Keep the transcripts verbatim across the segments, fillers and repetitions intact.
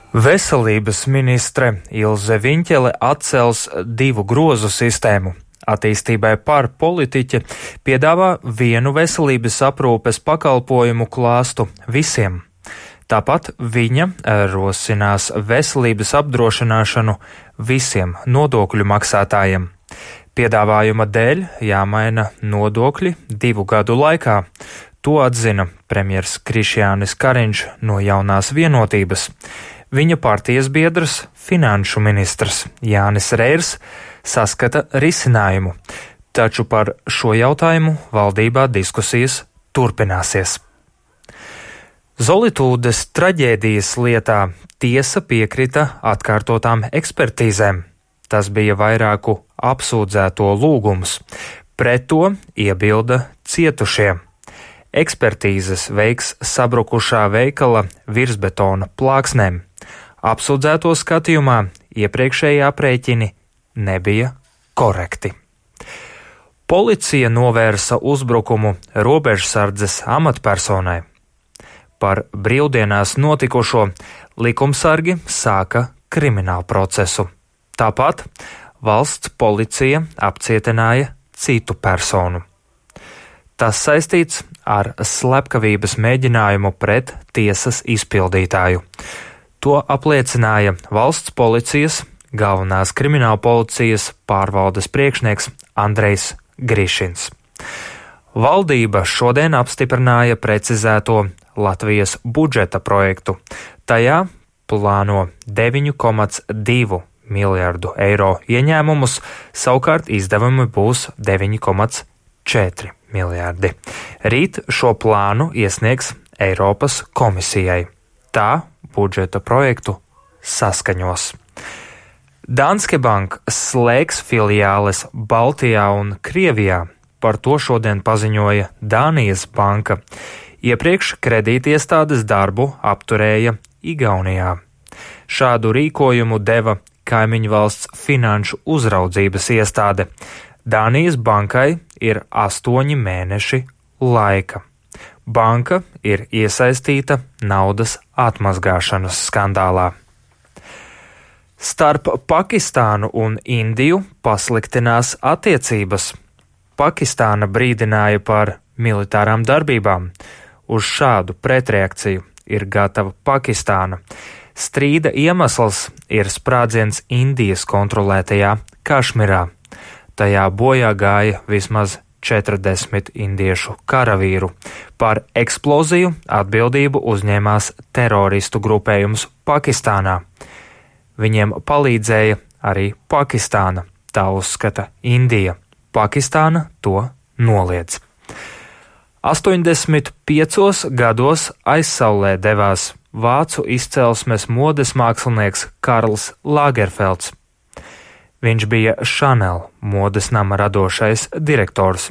Veselības ministre Ilze Viņķele atcels divu grozu sistēmu. Attīstībai par politiķi piedāvā vienu veselības aprūpes pakalpojumu klāstu visiem. Tāpat viņa rosinās veselības apdrošināšanu visiem nodokļu maksātājiem. Piedāvājuma dēļ jāmaina nodokļi divu gadu laikā. To atzina premjers Krišjānis Kariņš no Jaunās vienotības. Viņa partijas biedrs, finanšu ministrs Jānis Reirs, saskata risinājumu, taču par šo jautājumu valdībā diskusijas turpināsies. Zolitūdes traģēdijas lietā tiesa piekrita atkārtotām ekspertīzēm. Tas bija vairāku apsūdzēto lūgums. Pret to iebilda cietušie. Ekspertīzes veiks sabrukušā veikala virsbetona plāksnēm. Apsūdzēto skatījumā iepriekšējie aprēķini nebija korekti. Policija novērsa uzbrukumu robežsardzes amatpersonai. Par brīvdienās notikušo likumsargi sāka kriminālu procesu. Tāpat valsts policija apcietināja citu personu. Tas saistīts ar slepkavības mēģinājumu pret tiesas izpildītāju. To apliecināja valsts policijas galvenās krimināla policijas pārvaldes priekšnieks Andrejs Grišins. Valdība šodien apstiprināja precizēto Latvijas budžeta projektu. Tajā plāno deviņu komats divu miljardu eiro ieņēmumus, savukārt izdevumi būs deviņi komats četri miljardi. Rīt šo plānu iesniegs Eiropas komisijai. Tā budžeta projektu saskaņos. Danske Bank slēgs filiāles Baltijā un Krievijā. Par to šodien paziņoja Dānijas banka. Iepriekš kredītiestādes darbu apturēja Igaunijā. Šādu rīkojumu deva kaimiņu valsts finanšu uzraudzības iestāde. Dānijas bankai ir astoņi mēneši laika. Banka ir iesaistīta naudas atmazgāšanas skandālā. Starp Pakistānu un Indiju pasliktinās attiecības. Pakistāna brīdināja par militārām darbībām. Uz šādu pretreakciju ir gatava Pakistāna. Strīda iemesls ir sprādziens Indijas kontrolētajā Kašmirā. Tajā bojā gāja vismaz četrdesmit indiešu karavīru. Par eksploziju atbildību uzņēmās teroristu grupējums Pakistānā. Viņiem palīdzēja arī Pakistāna, tā uzskata Indija. Pakistāna to noliedz. astoņdesmit piecos gados aizsaulē devās vācu izcelsmes modes mākslinieks Karls Lagerfelds. Viņš bija Chanel modes nama radošais direktors.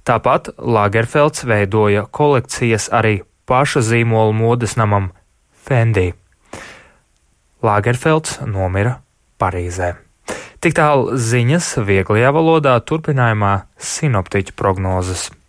Tāpat Lagerfelds veidoja kolekcijas arī paša zīmola modes namam Fendi. Lagerfelds nomira Parīzē. Tik tālu ziņas vieglajā valodā, turpinājumā sinoptiķu prognozes.